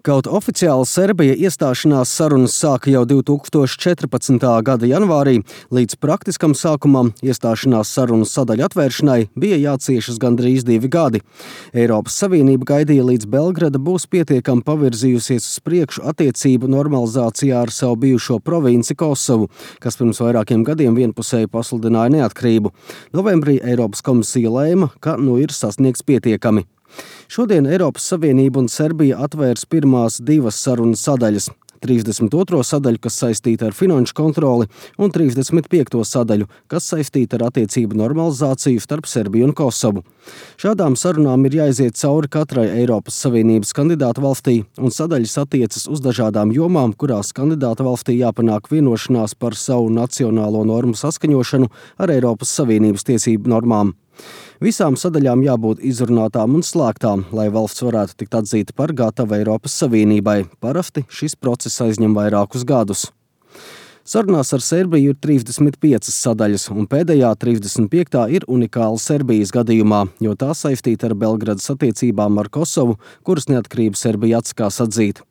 Kaut oficiāli Serbija iestāšanās sarunas sāka jau 2014. gada janvārī, līdz praktiskam sākumam iestāšanās sarunas sadaļu atvēršanai bija jāciešas gandrīz 2 gadi. Eiropas Savienība gaidīja, līdz Belgrada būs pietiekami pavirzījusies uz priekšu attiecību normalizācijā ar savu bijušo provinci Kosovu, kas pirms vairākiem gadiem vienpusēji pasludināja neatkarību. Novembrī Eiropas komisija lēma, ka ir sasniegts pietiekami. Šodien Eiropas Savienība un Serbija atvērs pirmās 2 sarunas sadaļas – 32. sadaļu, kas saistīta ar finanšu kontroli, un 35. sadaļu, kas saistīta ar attiecību normalizāciju starp Serbiju un Kosovu. Šādām sarunām ir jāiziet cauri katrai Eiropas Savienības kandidātu valstī, un sadaļas attiecas uz dažādām jomām, kurās kandidātu valstī jāpanāk vienošanās par savu nacionālo normu saskaņošanu ar Eiropas Savienības tiesību normām. Visām sadaļām jābūt izrunātām un slēgtām, lai valsts varētu tikt atzīta par gatavu Eiropas Savienībai. Parasti šis process aizņem vairākus gadus. Sarunās ar Serbiju ir 35 sadaļas, un pēdējā 35. ir unikāla Serbijas gadījumā, jo tā saistīta ar Belgradas attiecībām ar Kosovu, kuras neatkarību Serbija atsakās atzīt.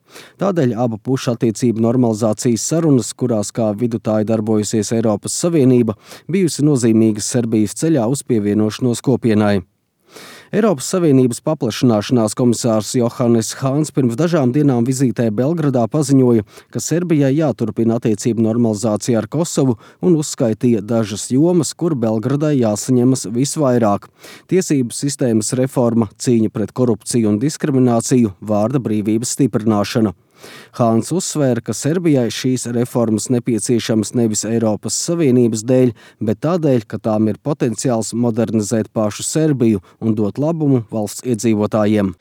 Tādēļ abu pušu attiecību normalizācijas sarunas, kurās kā vidutāji darbojusies Eiropas Savienība, bijusi nozīmīgas Serbijas ceļā uz pievienošanos kopienai. Eiropas Savienības paplašināšanās komisārs Johannes Hāns pirms dažām dienām vizītē Belgradā paziņoja, ka Serbijai jāturpina attiecību normalizācija ar Kosovu un uzskaitīja dažas jomas, kur Belgradai jāsaņemas visvairāk. Tiesību sistēmas reforma, cīņa pret korupciju un diskrimināciju, vārda brīvības stiprināšana. Hāns uzsvēra, ka Serbijai šīs reformas nepieciešamas nevis Eiropas Savienības dēļ, bet tādēļ, ka tām ir potenciāls modernizēt pašu Serbiju un dot labumu valsts iedzīvotājiem.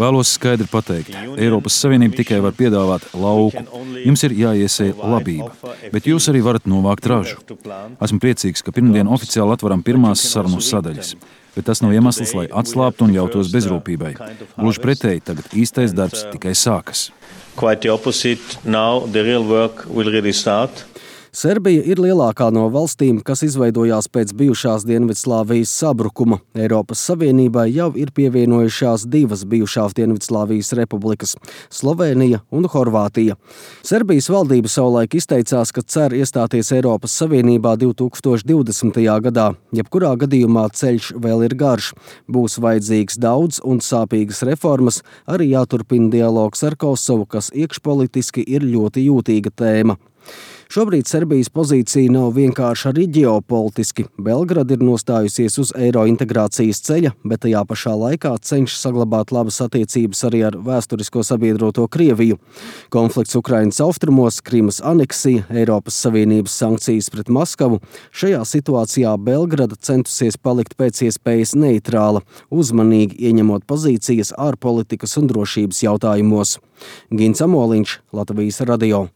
Vēlos skaidri pateikt, Eiropas Savienība tikai var piedāvāt lauku. Jums ir jāiesēj labība, bet jūs arī varat novākt ražu. Esmu priecīgs, ka pirmdien oficiāli atveram pirmās sarunu sadaļas. Bet tas nav iemesls, lai atslābtu un ļautos bezrūpībai. Gluži pretēji, tagad īstais darbs tikai sākas. Serbija ir lielākā no valstīm, kas izveidojās pēc bijušās Dienvidslāvijas sabrukuma. Eiropas Savienībai jau ir pievienojušās 2 bijušās Dienvidslāvijas republikas – Slovēnija un Horvātija. Serbijas valdība savulaik izteicās, ka cer iestāties Eiropas Savienībā 2020. gadā. Jebkurā gadījumā ceļš vēl ir garš. Būs vajadzīgs daudz un sāpīgas reformas, arī jāturpina dialogs ar Kosovu, kas iekšpolitiski ir ļoti jūtīga tēma. Šobrīd Serbijas pozīcija nav vienkārši arī ģeopolitiski. Belgrada ir nostājusies uz eiro integrācijas ceļa, bet tajā pašā laikā cenšas saglabāt labas attiecības arī ar vēsturisko sabiedroto Krieviju. Konflikts Ukrainas austrumos, Krimas aneksija, Eiropas Savienības sankcijas pret Maskavu. Šajā situācijā Belgrada centusies palikt pēc iespējas neitrāla, uzmanīgi ieņemot pozīcijas ārpolitikas un drošības jautājumos. Gins Amoliņš, Latvijas radio.